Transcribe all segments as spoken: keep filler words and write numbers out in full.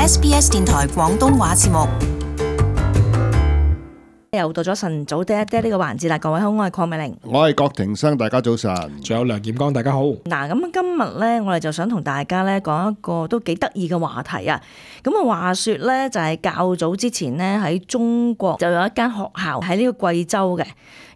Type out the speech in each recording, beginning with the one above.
S B S 電台廣東話節目。又到咗晨早爹爹呢個環節啦，各位好，我係鄺美玲，我係郭庭生，大家早晨。仲有梁劍剛，大家好。嗱，咁今日咧，我哋就想同大家咧講一個都幾得意嘅話題啊。咁啊，話說咧，就係較早之前咧喺中國就有一間學校喺呢個貴州嘅，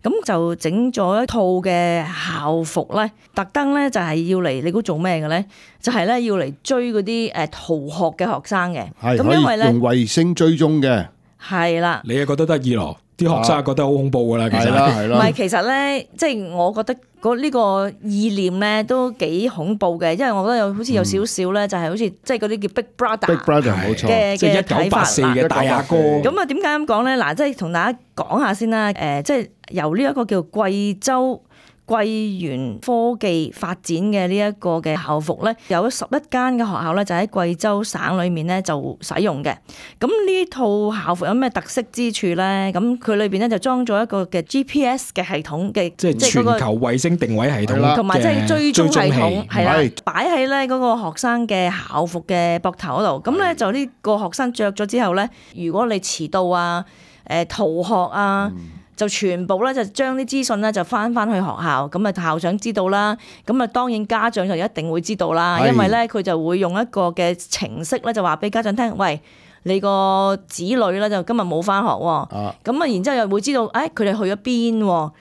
咁就整咗一套嘅校服咧，特登咧就係要嚟，你估做咩嘅咧？就係咧要嚟追嗰啲誒逃學嘅學生嘅，係咁因為咧用衛星追蹤嘅，係啦，你又覺得得意咯？啲學生覺得好恐怖噶啦，其實係啦係啦。唔係，其實咧，即係我覺得嗰呢個意念咧都幾恐怖嘅，因為我覺得有好似有少少咧，就係好似即係嗰啲叫 Big Brother Big Brother 冇錯，嘅即係一嘅睇法九八四嘅大阿哥。咁啊，點解咁講咧？嗱，即係同大家講下先啦。誒，即係由呢一個叫貴州貴源科技發展嘅呢一個嘅校服咧，有十一間嘅學校咧，就喺貴州省裏面咧就使用嘅。咁呢套校服有咩特色之處咧？咁佢裏邊咧就裝咗一個嘅 G P S 嘅系統嘅，即係全球衛星定位系統，同埋即係追蹤系統，係啦係，擺喺咧嗰個學生嘅校服嘅膊頭嗰度。咁咧就呢個學生着咗之後咧，如果你遲到啊、誒逃學啊，嗯就全部咧就將啲資訊咧就翻翻去學校，咁啊校長知道啦，咁啊當然家長就一定會知道啦，因為咧佢就會用一個嘅程式咧就話俾家長聽，喂，你個子女咧就今日冇翻學喎，咁啊然之後又會知道，誒佢哋去咗邊喎，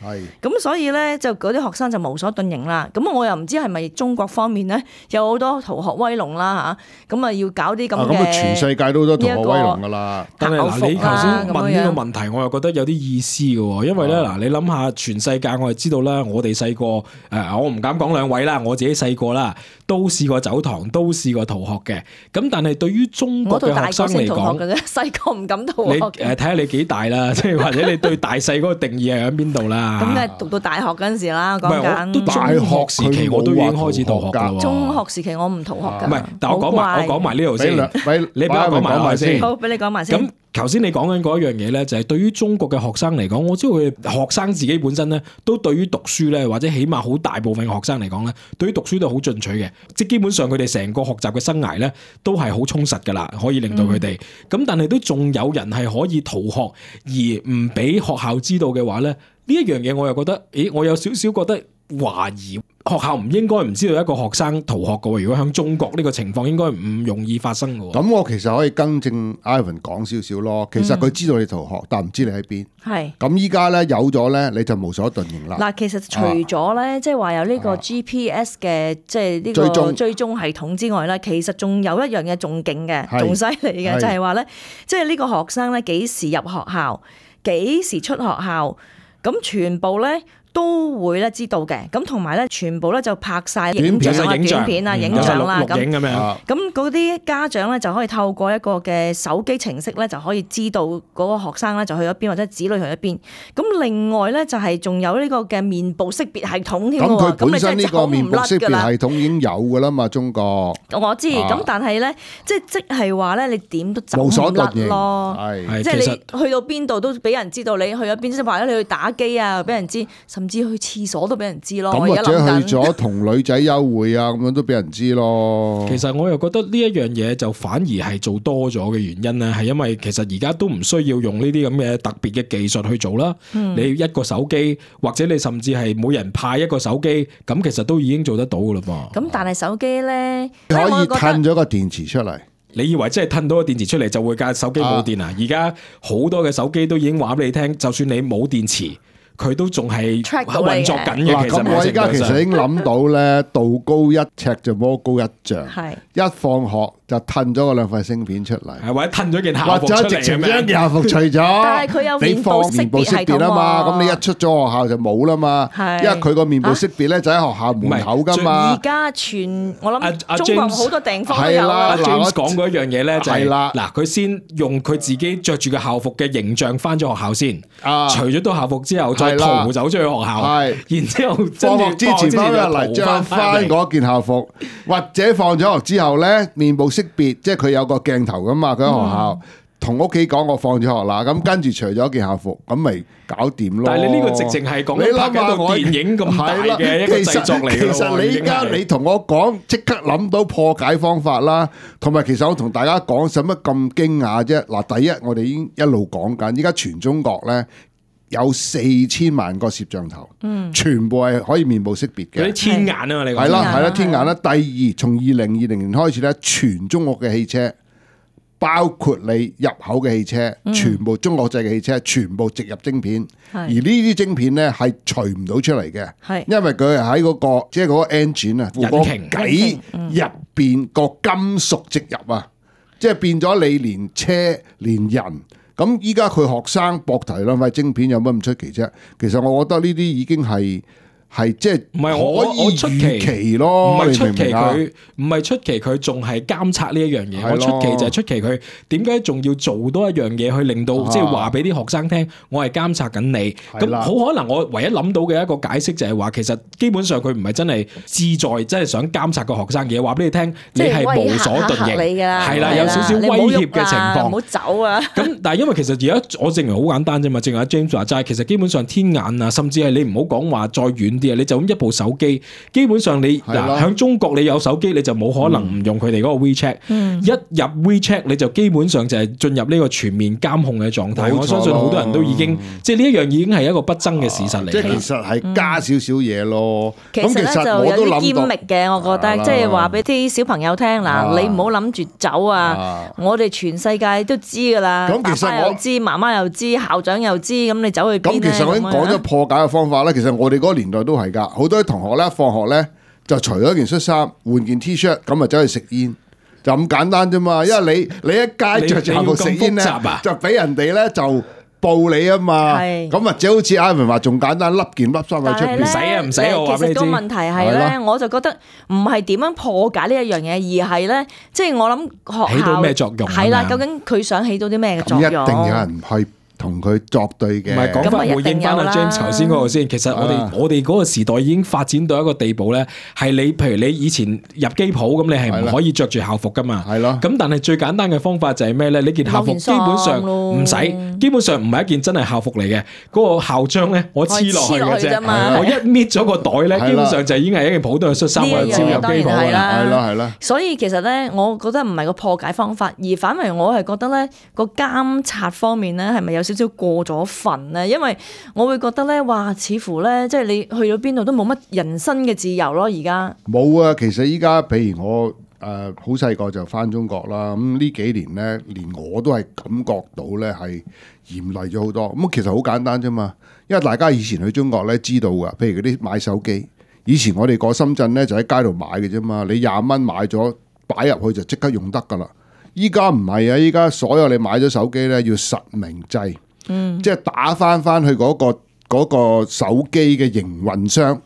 咁所以咧就嗰啲學生就無所遁形啦。咁我又唔知係咪中國方面咧有好多逃學威龍啦嚇，咁啊要搞啲咁嘅，咁啊全世界都好多逃學威龍噶啦。但係嗱，你頭先問呢個問題，我又覺得有啲意思嘅喎，因為咧嗱，你諗下全世界我哋知道啦，我哋細個誒，我唔敢講兩位啦，我自己細個啦，都試過走堂，都試過逃學嘅。咁但係對於中國嘅學生嚟講，細個唔敢逃學。你誒睇下你幾大啦，即係或者你對大細嗰個定義係喺邊度啦？咁梗係讀到大學嗰陣時啦，講緊。都大學時期我都已經開始逃學㗎喎。中學時期我唔逃學㗎。唔係，但我講埋我講埋呢度先。你俾我講埋埋先。好，俾你講埋先。咁頭先你講緊嗰一樣嘢咧，就係對於中國嘅學生嚟講，我知道佢學生自己本身咧，都對於讀書咧，或者起碼好大部分嘅學生嚟講咧，對於讀書都好進取嘅，即係基本上佢哋成個學習嘅生涯咧，都係好充實㗎啦，可以令到佢哋。咁、嗯、但係都仲有人係可以逃學而唔俾學校知道嘅話咧，呢一樣嘢我又覺得，咦，我有少少覺得懷疑。學校唔應該唔知道一個學生逃學嘅喎，如果喺中國呢個情況應該唔容易發生嘅喎。咁我其實可以更正 Ivan 講少少咯。其實佢知道你逃學，嗯、但唔知你喺邊。係。咁依家咧有咗咧，你就無所遁形啦。嗱，其實除咗咧，即係話有呢個 G P S 嘅即係呢個追蹤系統之外咧，其實仲有一樣嘢仲勁嘅，仲犀利嘅，就係話咧，即係呢個學生咧幾時入學校，幾時出學校，咁全部咧都會咧知道嘅，咁同埋咧全部咧就拍晒影像啊、短片啊、影像啦，咁咁嗰啲家長咧就可以透過一個嘅手機程式咧就可以知道嗰個學生咧就去咗邊，或者子女去咗邊。咁另外咧就係仲有呢個嘅面部識別系統添喎。咁佢本身呢個面部識別系統已經有㗎啦嘛，中國。我知，咁、啊、但係咧即係即係話咧，你點都走唔甩咯。係，即係你去到邊度都俾人知道你去咗邊，即係話咗你去打機啊，俾人知。甚至去廁所都俾人知咯，咁或者去咗同女仔幽會啊，咁樣都俾人知咯。其實我又覺得呢一樣嘢就反而係做多咗嘅原因咧，係因為其實而家都唔需要用呢啲咁嘅特別嘅技術去做啦。嗯、你一個手機，或者你甚至係每人派一個手機，咁其實都已經做得到噶啦噃。咁但係手機咧，可以褪咗個電池出嚟。你以為真係褪到個電池出嚟就會架手機冇電啊？而家好多嘅手機都已經話俾你聽，就算你冇電池，佢都仲係運作緊嘅。咁我而家其實已經諗到咧，道高一尺就魔高一丈。係一放學就褪咗個兩塊芯片出嚟，或者褪咗件校服出嚟，或者直情將件校服除咗。但係佢有面部識別系統啊嘛，咁你一出咗學校就冇啦嘛。係，因為佢個面部識別咧就喺學校門口噶嘛。而家全我諗中國好多地方都有。阿 James 講嗰一樣嘢咧就係啦，嗱佢先用佢自己着住嘅校服嘅形象翻咗學校先，除咗套校服之後再逃走出去學校，然之後放學之前翻入嚟着翻嗰件校服，或者放咗學之後咧面部識別，即係佢有個鏡頭噶嘛，佢喺學校同屋企講我放咗學啦，咁跟住除咗件校服，咁咪搞掂咯。但係你呢個直情係講緊拍緊部電影咁大嘅一個製作嚟嘅。其實你而家你同我講，即刻諗到破解方法啦。同埋其實我同大家講，使乜咁驚訝啫？嗱，第一我哋已經一路講緊，依家全中國咧有四千萬個攝像頭，嗯，全部係可以面部識別嘅。嗰啲天眼啊嘛，你講係啦係啦，天眼啦。第二，從二零二零年開始咧，全中國嘅汽車。包括你入口嘅汽車，全部中國製嘅汽車，全部植入晶片，嗯、而呢啲晶片咧係除唔到出嚟嘅，是因為佢係喺嗰個即係嗰個 engine 啊，個計入邊個金屬植入啊，即係變咗你連車連人，咁依家佢學生搏題兩塊晶片有乜咁出奇啫？其實我覺得呢啲已經係。係即係唔係我我出奇咯，唔係出奇佢唔係出奇佢仲係監察呢一樣嘢。我出奇就係出奇佢點解仲要做多一樣嘢去令到即係話俾啲學生聽，我係監察緊你。咁好可能我唯一諗到嘅一個解釋就係話，其實基本上佢唔係真係志在真係想監察個學生嘅，話俾你聽，你係無所遁形，係啦，有少少威脅嘅情況，唔好走啊！咁但係因為其實而家我證明好簡單啫嘛，正如阿 James 話齋，其實基本上天眼啊，甚至係你唔好講話再遠。你就咁一部手機，基本上你嗱喺中國你有手機你就冇可能唔用佢哋嗰個 WeChat，嗯、一入 WeChat 你就基本上就係進入呢個全面監控嘅狀態。我相信好多人都已經，嗯、即係呢一樣已經係一個不爭嘅事實嚟。即係其實係加少少嘢咯。其實咧就有啲堅密嘅，我覺得即係話俾啲小朋友聽嗱，你唔好諗住走啊！我哋全世界都知㗎啦，爸爸又知，媽媽又知，校長又知，咁你走去邊咧？咁其實我已經講咗破解嘅方法啦。其實我哋嗰個年代都係㗎，好多同學咧放學咧就除咗件恤衫，換件 T-shirt， 咁啊走去食煙，就咁簡單啫嘛。因為你你一街着住校服食煙咧，就俾人哋咧就報你啊嘛。咁或者好似 Ivan 話仲簡單，笠件笠衫喺出邊，唔使啊唔使我話俾你知。其實個問題係咧，我就覺得唔係點樣破解呢一樣嘢，而係咧，即係我諗學校起到咩作用？係啦，究竟佢想起到啲咩嘅作用？一定有人去同佢作對嘅，唔係講翻回應翻阿 James 頭先嗰個先。其實我哋、啊、我哋嗰個時代已經發展到一個地步咧，係你譬如你以前入機鋪咁，你係唔可以着住校服噶嘛。係咯。咁但係最簡單嘅方法就係咩咧？你件校服基本上唔使，基本上唔係一件真係校服嚟嘅。嗰、嗰個校章咧，我黐落去嘅啫。我一搣咗個袋咧，基本上就已經係一件普通嘅恤衫，我就照入機鋪㗎啦。係啦係啦。所以其實咧，我覺得唔係個破解方法，而反為我係覺得咧個監察方面咧係咪有少少過咗份咧？因為我會覺得咧，哇，似乎咧，即係你去到邊度都冇乜人身嘅自由咯。而家冇啊，其實依家譬如我誒好細個就返中國啦，咁呢幾年咧，連我都係感覺到咧係嚴厲咗好多。咁其實好簡單啫嘛，因為大家以前去中國咧知道噶，譬如嗰啲買手機，以前我哋過深圳咧就喺街度買嘅啫嘛，你廿蚊買咗擺入去就即刻用得噶啦。依家唔係啊，依家所有你買咗手機咧要實名制。嗯、即係打翻翻去嗰、嗰個、嗰個手機嘅營運商，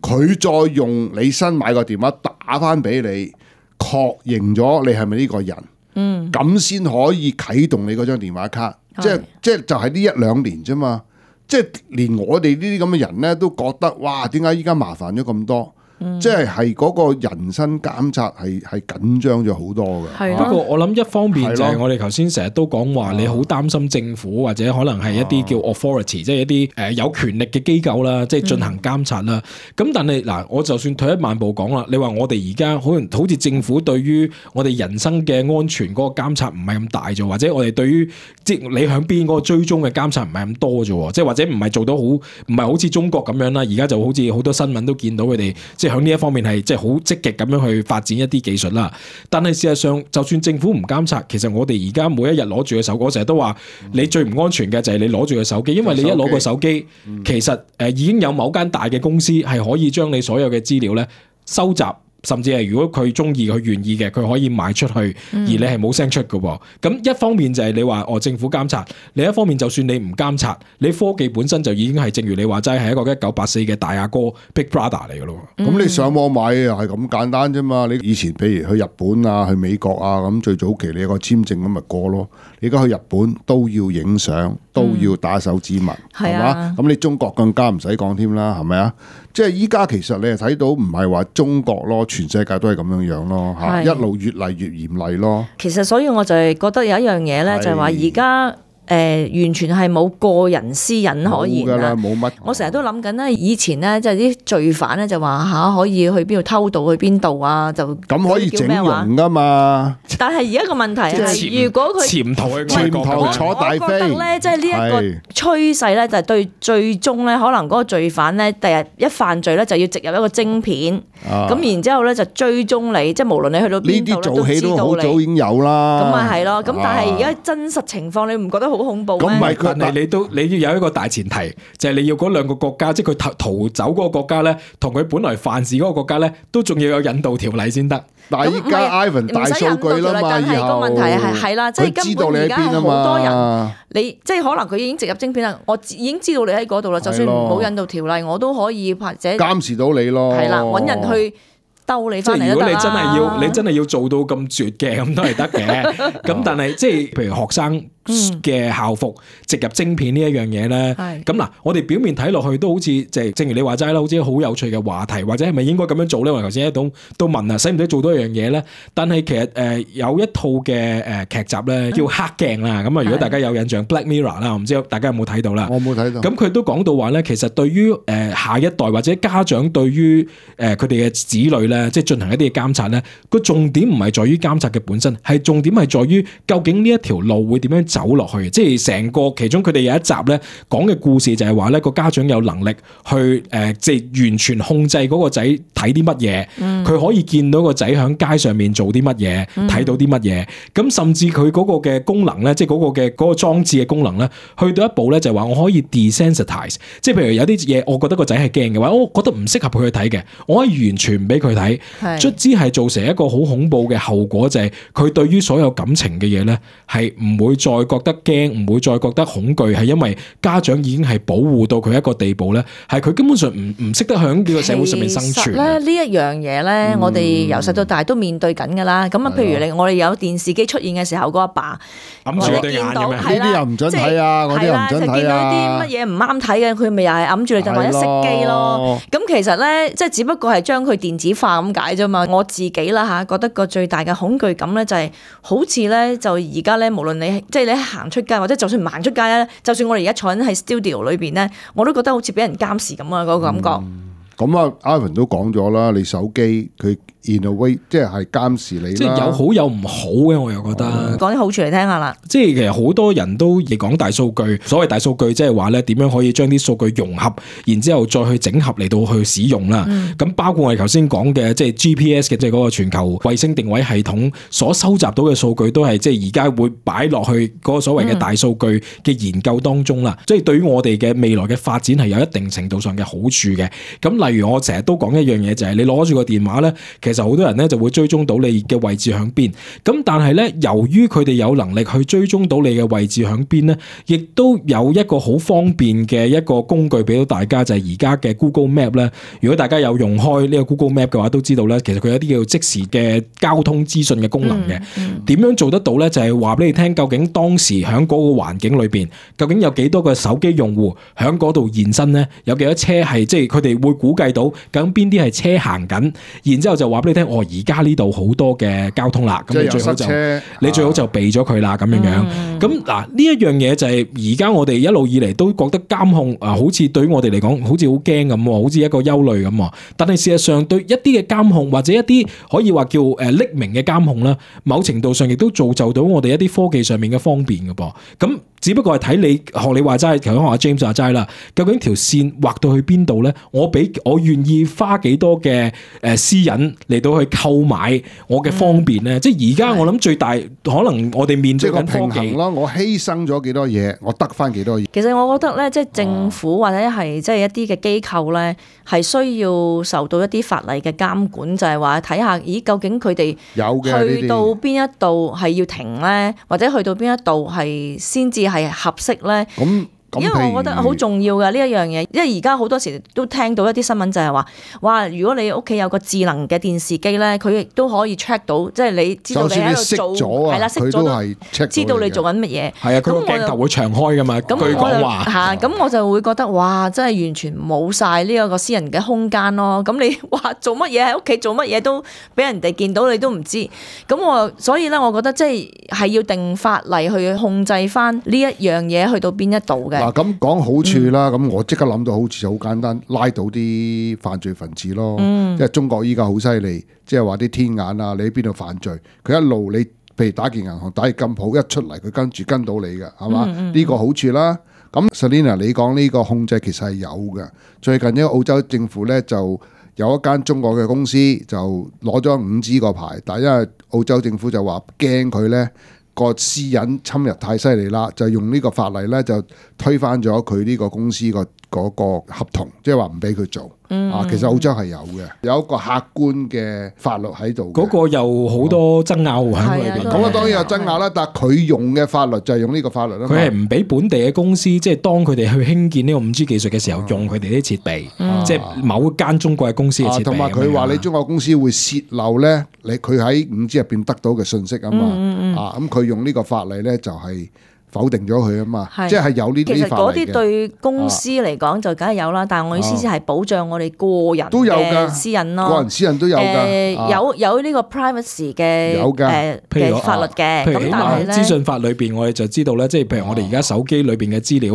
佢、嗯、再用你新買個電話打翻俾你，確認咗你係咪呢個人，咁先、嗯、可以啟動你嗰張電話卡。是即係即係就係呢一兩年啫嘛，即係連我哋呢啲咁嘅人咧都覺得，哇！點解依家麻煩咗咁多？嗯、即係係嗰個人身監察係係緊張咗好多嘅。不過我諗一方面就係我哋頭先成日都講話，你好擔心政府或者可能係一啲叫 authority，、啊、即係一啲誒有權力嘅機構啦，即係進行監察啦。咁、嗯、但係嗱，我就算退一萬步講啦，你話我哋而家可能好似政府對於我哋人生嘅安全嗰個監察唔係咁大啫，或者我哋對於即係你響邊嗰個追蹤嘅監察唔係咁多啫，即係或者唔係做到好，唔係好似中國咁樣啦。而家就好似好多新聞都見到佢哋即係喺呢一方面係即係好積極咁樣去發展一啲技術啦，但係事實上就算政府唔監察，其實我哋而家每一日攞住個手機，我成日都話你最唔安全嘅就係你攞住個手機，因為你一攞個手機，其實誒已經有某間大嘅公司係可以將你所有嘅資料咧收集。甚至係如果佢中意佢願意嘅，佢可以賣出去，而你係冇聲出嘅喎。咁一方面就係你話哦政府監察，另一方面就算你唔監察，你科技本身就已經係正如你話齋係一個一九八四嘅大阿哥 Big Brother 嚟嘅咯。咁、嗯、你上網買又係咁簡單啫嘛。你以前譬如去日本啊、去美國啊咁，最早期你有個簽證咁咪過咯。你而家去日本都要影相，都要打手指紋，係嘛、嗯？咁你中國更加唔使講添啦，係咪啊？即係依家其實你係睇到唔係話中國咯，全世界都係咁樣樣咯，嚇一路越嚟越嚴厲咯。其實所以我就係覺得有一樣嘢咧，就係話而家。誒、呃、完全係冇個人私隱可言啦，冇乜。我成日都諗緊咧，以前咧即係啲罪犯咧就話嚇可以去邊度偷渡去邊度啊，就咁可以整容噶嘛？但係而家個問題係，如果佢潛逃去潛逃坐大飛，我覺得咧，即係呢一個趨勢咧，就係對最終咧，可能嗰個罪犯咧，第日一犯罪咧，就要植入一個晶片，咁、啊、然之後咧就追蹤你，即係無論你去到邊度咧，都知道你。呢啲做戲都好早已經有啦。咁咪係咯，咁但係而家真實情況，你唔覺得好恐怖咩？咁唔係佢，但係你都你要有一個大前提，就係、是、你要嗰兩個國家，即係佢逃逃走嗰個國家咧，同佢本來犯事嗰個國家咧，都仲要有引渡條例先得。但係依家 Ivan 大數據啦嘛，但係個問題係係啦，即係根本而家係好多人，你即係可能佢已經植入晶片啦，我已經知道你喺嗰度啦，就算冇引渡條例，我都可以或者監視到你咯。係啦，揾人去兜你翻嚟都得啦。即係如果你真係要，你真係要做到咁絕嘅，咁都係得嘅。咁但係即係譬如學生嘅校服植入晶片呢一樣嘢咧，咁嗱，我哋表面睇落去都好似即係，正如你話齋啦，好似好有趣嘅話題，或者係咪應該咁樣做咧？我頭先一度都問啊，使唔使做多一樣嘢咧？但係其實誒、呃、有一套嘅誒劇集咧叫黑鏡啦，咁啊如果大家有印象 Black Mirror 啦，我唔知大家有冇睇到啦？我冇睇到。咁佢都講到話咧，其實對於誒下一代或者家長對於誒佢哋嘅子女咧，即係進行一啲嘅監察咧，個重點唔係在於監察嘅本身，係重點係在於究竟呢一條路會點樣走落去，即係成個其中佢哋有一集咧講嘅故事就係話咧個家長有能力去誒即係完全控制嗰個仔睇啲乜嘢，佢、嗯、可以見到個仔喺街上面做啲乜嘢，睇、嗯、到啲乜嘢，咁甚至佢嗰個嘅功能咧，即係嗰個嘅嗰個裝置嘅功能咧，去到一步咧就係話我可以 desensitize， 即係譬如有啲嘢我覺得個仔係驚嘅話，我覺得唔適合佢去睇嘅，我可以完全唔俾佢睇，卒之係造成一個好恐怖嘅後果，就係佢對於所有感情嘅嘢咧係唔會再覺得驚，唔會再覺得恐懼，係因為家長已經係保護到佢一個地步咧，係佢根本上唔唔識得喺呢個社會上面生存。其實咧呢一樣嘢咧，嗯、我哋由細到大都面對緊噶啦。咁啊，譬如你我哋有電視機出現嘅時候，個阿爸揞住對眼咁樣，呢啲又唔准睇啊，嗰啲又唔准睇啊。就見到啲乜嘢唔啱睇嘅，佢咪又係揞住你，就或者熄機咯。咁其實咧，即係只不過係將佢電子化咁解啫嘛。我自己啦嚇，覺得個最大嘅恐懼感咧就係好似咧，就而家咧，無論你即係你行出街或者就算唔行出街咧，就算我哋而家坐緊喺 studio 裏邊咧，我都覺得好似俾人監視咁啊！嗰個感覺。咁啊，Ivan 都講咗啦，你手機佢 in a way 即係監視你啦。即係有好有唔好嘅，我又覺得。講啲好處嚟聽下啦。即係其實好多人都亦講大數據，所謂大數據即係話咧點樣可以將啲數據融合，然之後再去整合嚟到去使用啦。咁、嗯、包括我哋頭先講嘅即係 G P S 嘅，即係嗰個全球衛星定位系統所收集到嘅數據，都係即係而家會擺落去嗰個所謂嘅大數據嘅研究當中啦。即、嗯、係對於我哋嘅未來嘅發展係有一定程度上嘅好處嘅。咁例如我成日都講一樣嘢，就係、是、你攞住個電話咧，其實好多人咧就會追蹤到你嘅位置響邊。咁但係咧，由於佢哋有能力去追蹤到你嘅位置響邊咧，亦都有一個好方便嘅一個工具俾到大家，就係而家嘅 Google Map 咧。如果大家有用開呢個 Google Map 嘅話，都知道咧，其實佢有啲叫即時嘅交通資訊嘅功能嘅。點、嗯嗯、樣做得到咧？就係話俾你聽，究竟當時響嗰個環境裏邊，究竟有幾多個手機用戶響嗰度現身咧？有幾多車係即係佢哋會估計到？究竟邊啲係車行緊，然之後就話俾你聽，哦，而家呢度好多嘅交通啦，咁你最好就你最好就避咗佢啦，咁樣樣。咁嗱呢一樣嘢就係而家我哋一路以嚟都覺得監控啊，好似對於我哋嚟講，好似好驚咁，好似一個憂慮咁。但係事實上對一啲嘅監控或者一啲可以話叫誒匿名嘅監控啦，某程度上亦都造就到我哋一啲科技上面嘅方便嘅噃。咁只不過係睇你學你話齋，頭先學阿 James 話齋啦，究竟條線畫到去邊度咧？我俾我願意花幾多嘅誒私隱嚟到去購買我嘅方便咧？嗯、即係而家我諗最大可能我哋面對緊科技咯，我犧牲咗幾多嘢，我得翻幾多嘢。其實我覺得咧，即係政府或者係即係一啲嘅機構咧，係需要受到一啲法例嘅監管，就係話睇下，咦，究竟佢哋去到邊一度係要停咧，或者去到邊一度係先至係合適咧？咁咁因為我覺得好重要嘅呢一樣嘢，因為而家好多時都聽到一啲新聞就係話，哇！如果你屋企有個智能嘅電視機咧，佢亦都可以 check 到，即係你知道你喺度做，係啦，熄咗都知道你做緊乜嘢。係啊，佢個鏡頭會長開噶嘛。據講話嚇，咁我就會覺得哇，真係完全冇晒呢一個私人嘅空間咯。咁你話做乜嘢喺屋企做乜嘢都俾人哋見到，你都唔知。咁我所以咧，我覺得即係係要定法例去控制翻呢一樣嘢去到邊一度嘅。嗱，咁講好處啦，咁、嗯、我即刻諗到好處就好簡單，拉到啲犯罪分子咯。嗯、因為中國依家好犀利，即係話啲天眼啊，你喺邊度犯罪，佢一路你譬如打劫銀行、打劫金鋪，一出嚟佢跟住跟到你嘅，係嘛？呢、嗯嗯、個好處啦。咁 Selina 你講呢個控制其實係有嘅。最近呢個澳洲政府咧就有一間中國嘅公司就攞咗五 G 個牌，但係因為澳洲政府就話驚佢咧個私隱侵入太犀利啦，就用呢個法例咧就推翻咗佢呢個公司個嗰個合同，即係話唔俾佢做。嗯、啊，其實澳洲係有嘅，有一個客觀嘅法律喺度。嗰個有好多爭拗喺裏邊。咁啊，當然有爭拗啦，但係佢用嘅法律就係用呢個法律啦。佢係唔俾本地嘅公司，即係當佢哋去興建呢個五 G 技術嘅時候，用佢哋啲設備，嗯、即係某間中國嘅公司嘅設備。同埋佢話你中國公司會泄漏咧，你佢喺五 G 入邊得到嘅信息啊嘛。嗯嗯、啊，咁佢用呢個法例咧就係、是。否定咗佢啊嘛，即係有呢啲法例嘅。其實嗰啲對公司嚟講就梗係有啦，但係我意思係保障我哋個人嘅私隱咯。個人私隱都有㗎，有有呢個 privacy 嘅誒嘅法律嘅。譬如起碼資訊法裏邊，我哋就知道咧，即係譬如我哋而家手機裏邊嘅資料，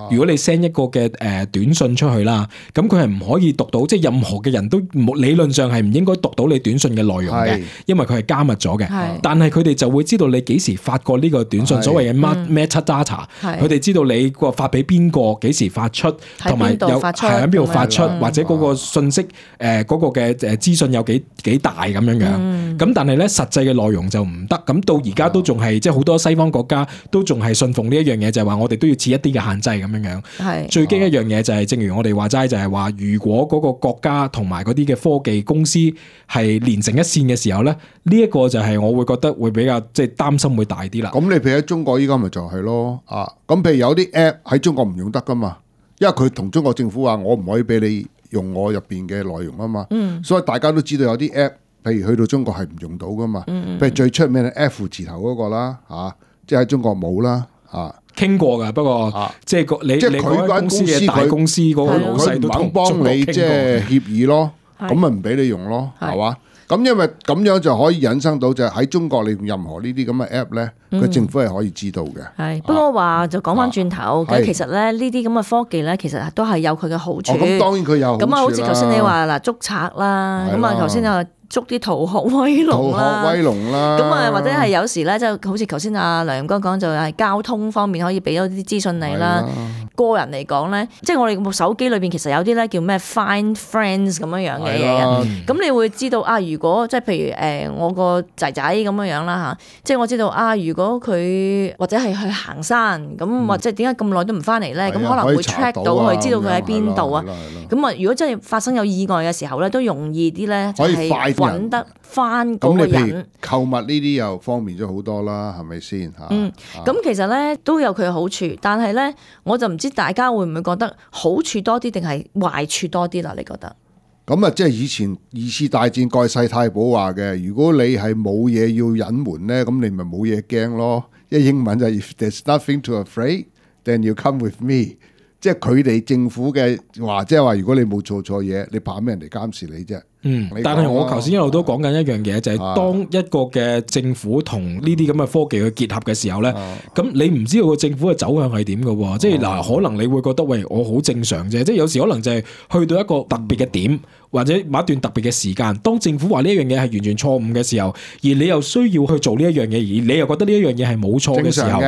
如果你 send 一個嘅誒短信出去啦，咁佢係唔可以讀到，即係任何嘅人都理論上係唔應該讀到你短信嘅內容嘅，因為佢係加密咗嘅。但係佢哋就會知道你幾時發過呢個短信，所謂嘅 metadata，佢哋知道你個發俾邊個，幾時發出，同埋有係喺邊度發出，或者嗰個信息誒嗰個嘅誒資訊有幾幾大咁樣樣。咁但係咧實際嘅內容就唔得。咁到而家都仲係即係好多西方國家都仲係信奉呢一樣嘢，就係話我哋都要設一啲嘅限制咁樣樣。係最驚一樣嘢就係，正如我哋話齋，就係話如果嗰個國家同埋嗰啲嘅科技公司係連成一線嘅時候咧，呢一個就係我會覺得會比較即係擔心會大啲啦。咁你譬如喺中國依家咪就係咯。啊，咁譬如有啲 app 喺中國唔用得噶嘛，因為佢同中國政府話我唔可以俾你用我入邊嘅內容啊嘛，嗯、所以大家都知道有啲 app，譬如去到中國係唔用到噶嘛，嗯嗯、譬如最出名嘅 F 字頭嗰個啦，嚇，即係喺中國冇啦，嚇。傾過㗎，不過、啊、即係個你即係佢間公司嘅大公司嗰個老細都唔肯幫你即係協議咯，咁咪唔俾你用咯，係嘛？咁因為咁樣就可以引申到就係喺中國你用任何呢啲咁嘅 app 咧，佢政府係可以知道嘅。係，不過話就講翻轉頭，咁其實咧呢啲咁嘅科技咧，其實都係有佢嘅好處。咁當然佢有好處啦。咁啊，好似頭先你話嗱捉賊啦，咁啊頭先又捉啲逃學威龍啦，逃學威龍啦。咁啊或者係有時咧，就好似頭先阿梁哥講就係交通方面可以俾多啲資訊你啦。個人嚟講咧，即係我哋部手機裏邊其實有啲咧叫咩 Find Friends 咁樣樣嘅嘢，咁你會知道啊，如果即係譬如誒、呃、我個仔仔咁樣樣啦嚇，即係我知道啊，如果佢或者係去行山咁，嗯、或者點解咁耐都唔翻嚟咧？咁、嗯、可能會 check 到佢，知道佢喺邊度啊。咁啊，如果真係發生有意外嘅時候咧，都容易啲咧，就係揾得翻嗰個人。購物呢啲又方便咗好多啦，係咪先嚇？嗯，咁其實咧都有佢嘅好處，但係咧我就唔知大家會唔會覺得好處多啲定係壞處多啲啦？你覺得？咁啊，即係以前二次大戰蓋世太保話嘅，如果你係冇嘢要隱瞞咧，咁你咪冇嘢驚咯。因為英文就係 If there's nothing to afraid, then you come with me。即係佢哋政府嘅話，即係話如果你冇做錯嘢，你怕咩人哋監視你啫？嗯，但係我頭先一路都講緊一樣嘢，就係、是、當一個嘅政府同呢啲咁嘅科技去結合嘅時候咧，咁、啊、你唔知道個政府嘅走向係點嘅喎？啊、即係嗱，可能你會覺得喂，我好正常啫。即係有時可能就係去到一個特別嘅點，或者某一段特別嘅時間，當政府話呢一樣嘢係完全錯誤嘅時候，而你又需要去做呢一樣嘢，而你又覺得呢一樣嘢係冇錯嘅時候。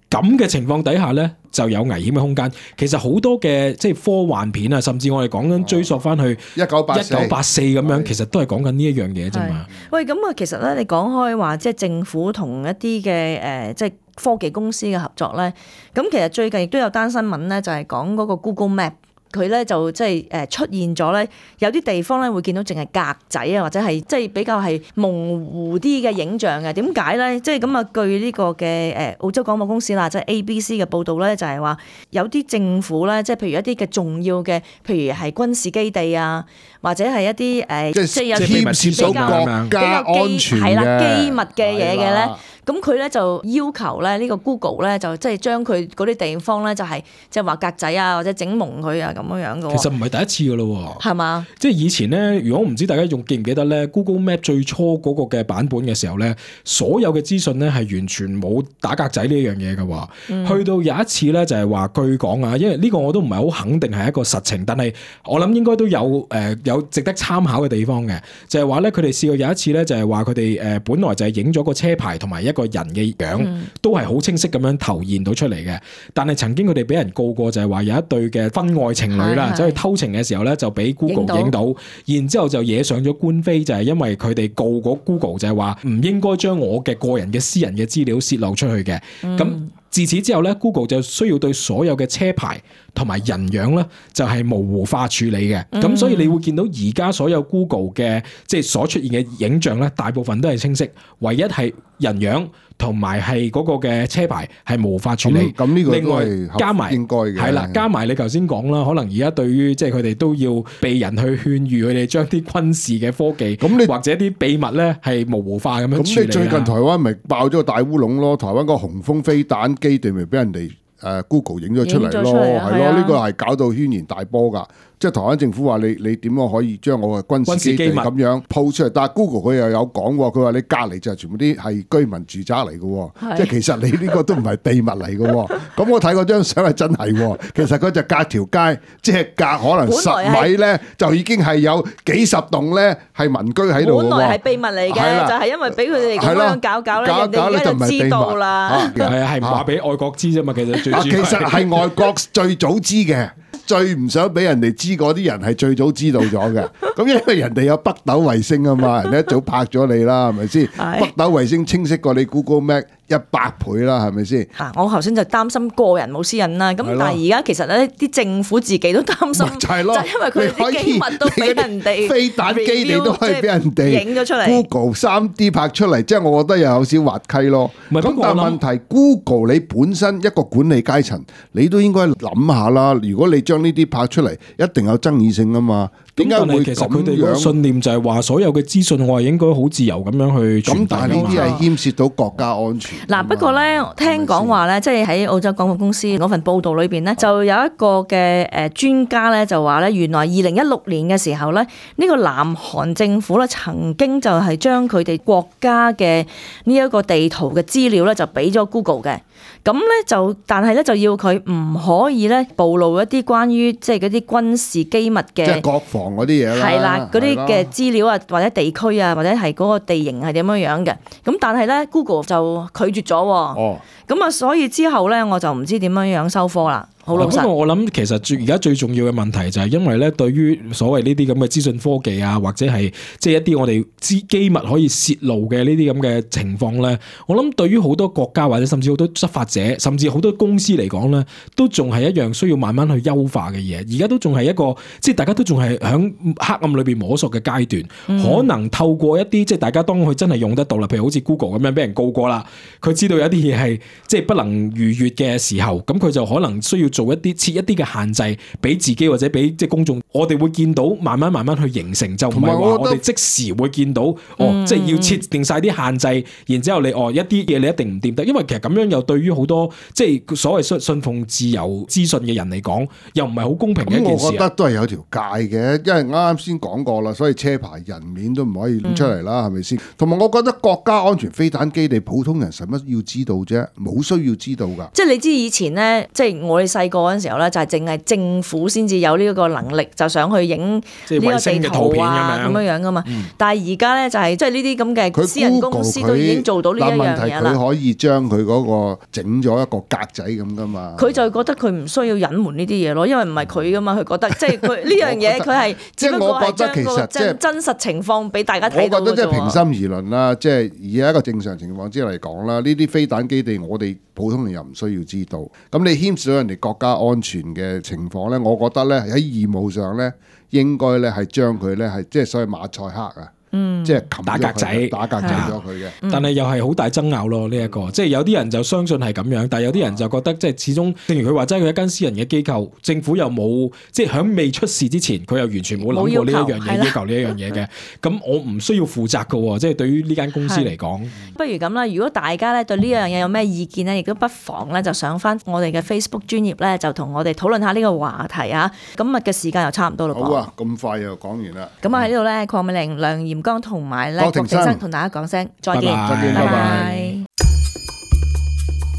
咁嘅情況底下咧，就有危險嘅空間。其實好多嘅即係科幻片啊，甚至我哋講緊追溯翻去一九八四、一九八四咁樣，其實都係講緊呢一樣嘢啫嘛。喂，咁啊，其實咧，你講開話即係政府同一啲嘅誒，即係科技公司嘅合作咧。咁其實最近亦都有單新聞咧，就係講嗰個 Google Map。佢咧就即係誒出現咗咧，有啲地方咧會見到淨係格仔啊，或者係即係比較係模糊啲嘅影像嘅。點解咧？即係咁啊，據呢個嘅誒澳洲廣播公司啦，即係 A B C 嘅報導咧，就係話有啲政府咧，即係譬如一啲嘅重要嘅，譬如係軍事基地啊，或者係一啲誒，即係有啲牽涉到國家安全係啦機密嘅嘢嘅咧。係咁佢咧就要求咧呢個 Google 咧就即係將佢嗰啲地方咧就係即係話格仔啊，或者整蒙佢啊咁樣樣嘅。其實唔係第一次噶咯，係嘛？即係以前咧，如果唔知大家仲記唔記得咧 ，Google Map 最初嗰個嘅版本嘅時候咧，所有嘅資訊咧係完全冇打格仔呢樣嘢嘅喎。嗯、去到有一次咧就係話據講啊，因為呢個我都唔係好肯定係一個實情，但係我諗應該都有誒、呃、有值得參考嘅地方嘅，就係話咧佢哋試過有一次咧就係話佢哋誒本來就係影咗個車牌同埋一個人嘅樣，嗯、都係好清晰咁樣投現到出嚟嘅。但係曾經佢哋俾人告過，就係話有一對嘅婚外情侶啦，走去偷情嘅時候咧，就俾 Google 影到，然之後就惹上咗官非，就係因為佢哋告嗰 Google 就係話唔應該將我嘅個人嘅私人嘅資料泄露出去嘅。咁、嗯、自此之後咧 ，Google 就需要對所有嘅車牌同埋人樣咧，就係模糊化處理嘅。咁、嗯、所以你會見到而家所有 Google 嘅即係所出現嘅影像咧，大部分都係清晰，唯一係人樣同埋係嗰個嘅車牌係無法處理。咁呢個另外加埋應該嘅係啦，加埋你頭先講啦，可能而家對於即係佢哋都要被人去勸喻佢哋將啲軍事嘅科技，咁你或者啲秘密咧係模糊化咁樣處理。咁你最近台灣咪爆咗個大烏龍咯？台灣個紅峰飛彈基地咪俾人哋誒 Google 影咗出嚟咯，係咯？呢個係搞到軒然大波㗎。即係台灣政府話你你點樣可以將我嘅軍事基地咁樣鋪出嚟？但係 Google 佢又有講喎，佢話你隔離就係全部啲係居民住宅嚟嘅，即係其實你呢個都唔係秘密嚟嘅。咁我睇嗰張相係真係，其實佢就隔條街，即係隔可能十米咧，就已經係有幾十棟咧係民居喺度。本來係秘密嚟嘅，就係因為俾佢哋咁樣搞搞咧，人哋而家就知道啦。係啊，係唔話俾外國知啫嘛？其實最其實係外國最早知嘅。最唔想俾人哋知嗰啲人係最早知道咗嘅，咁因為人哋有北斗衛星啊嘛，人哋一早拍咗你啦，係咪先？北斗衛星清晰過你 Google Map 一百倍啦，係咪先？啊，我頭先就擔心個人冇私隱啦，咁但係而家其實咧啲政府自己都擔心，就係咯，就因為佢啲機密都俾人哋飛彈基地都可以俾人哋影咗出嚟 ，Google 三 D 拍出嚟，即係我覺得又有少滑稽咯。咁但係問題 ，Google 你本身一個管理階層，你都應該諗下啦。如果你將呢啲拍出嚟，一定有爭議性啊嘛。點解會其實佢哋嘅信念就係話，所有嘅資訊我係應該好自由咁樣去傳遞。咁但係呢啲係牽涉到國家安全。嗱，不過咧，聽講話咧，即係喺澳洲廣播公司嗰份報導裏邊咧，就有一個嘅誒專家咧，就話咧，原來二零一六年嘅時候咧，呢個南韓政府咧曾經就係將佢哋國家嘅呢一個地圖嘅資料咧，就俾咗 Google 嘅。咁咧就，但係咧就要佢唔可以咧暴露一啲關於即係嗰啲軍事機密嘅，即係國防嗰啲嘢啦。係啦，嗰啲嘅資料啊，或者地區啊，或者係嗰個地形係點樣樣嘅。咁但係咧 Google 就拒絕咗。哦。咁啊，所以之後咧我就唔知點樣樣收科啦。好老實。不過我諗其實最而家最重要嘅問題就係因為咧，對於所謂呢啲咁嘅資訊科技啊，或者係即係一啲我哋知機密可以泄露嘅呢啲咁嘅情況咧，我諗對於好多國家或者甚至好多執法者，甚至好多公司嚟講咧，都仲係一樣需要慢慢去優化嘅嘢。而家都仲係一個即係大家都仲係喺黑暗裏邊摸索嘅階段，嗯、可能透過一啲即係大家當佢真係用得到啦，譬如好似 Google 咁樣俾人告過啦，佢知道有啲嘢係即係不能逾越嘅時候，咁佢就可能需要做一啲設一啲嘅限制，俾自己或者俾即係公眾，我哋會見到慢慢慢慢去形成，就唔係話我哋即時會見到，哦，即係要設定晒啲限制，然之後你哦一啲嘢你一定唔掂得，因為其實咁樣又對於好多即係所謂信信奉自由資訊嘅人嚟講，又唔係好公平嘅一件事。我覺得都係有條界嘅，因為啱啱先講過啦，所以車牌人面都唔可以拎出嚟啦，係咪先？同埋我覺得國家安全飛彈基地，普通人使乜要知道啫？冇需要知道㗎。即係你知以前咧，即係我哋細個嗰陣時候咧，就係淨係政府先至有呢個能力，就想去影呢個地圖啊咁樣樣噶嘛。嗯、但係而家咧就係即係呢啲咁嘅私人公司都已經做到呢一樣嘢啦。佢可以將佢嗰個整咗一個格仔咁噶嘛。佢就覺得佢唔需要隱瞞呢啲嘢咯，因為唔係佢噶嘛，佢覺得即係佢呢樣嘢佢係只不過係將個真真實情況俾大家睇到嘅啫。我覺得即係平心而論啦，即係以一個正常情況之下嚟講啦，呢啲飛彈基地我哋普通人又唔需要知道。咁你牽涉到人哋國國家安全嘅情況咧，我覺得咧喺義務上咧，應該咧係將佢咧係即係所謂馬賽克啊。嗯，即係打格仔，打格仔咗佢嘅。但係又係好大爭拗咯，呢、這、一個，即係有啲人就相信係咁樣，但係有啲人就覺得即係始終，正如佢話齋，佢一間私人嘅機構，政府又冇即係喺未出事之前，佢又完全冇諗過呢一樣嘢，要求呢一樣嘢嘅。咁我唔需要負責㗎，即係對於呢間公司嚟講。不如咁啦，如果大家咧對呢樣嘢有咩意見咧，亦都不妨咧就上翻我哋嘅 Facebook 專頁咧，就同我哋討論下呢個話題啊。今日嘅時間又差唔多啦。好啊，咁快又講完啦。咁啊喺呢度咧，鄺美玲、梁嚴剛同埋咧。郭庭生同大家講聲再見，再見，拜拜。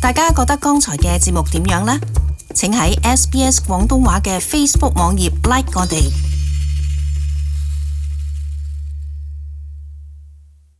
大家覺得剛才嘅節目點樣呢？請喺 S B S 廣東話嘅 Facebook 網頁 like 我哋。